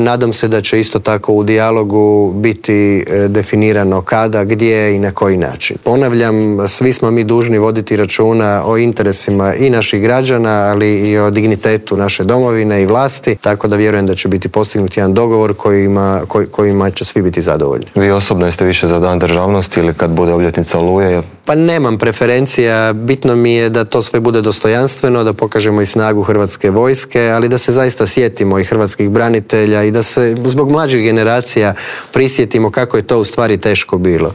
Nadam se da će isto tako u dijalogu biti definirano kada, gdje i na koji način. Ponavljam, svi smo mi dužni voditi računa o interesima i naših građana, ali i o dignitetu naše domovine i vlasti, tako da vjerujem da će biti postignut jedan dogovor kojima će svi biti zadovoljni. Vi osobno jeste više za Dan državnosti ili kad bude obljetnica Oluje? Pa nemam preferencija, bitno mi je da to sve bude dostojanstveno, da pokažemo i snagu Hrvatske vojske, ali da se zaista sjetimo i hrvatskih branitelja i da se zbog mlađih generacija prisjetimo kako je to u stvari teško bilo.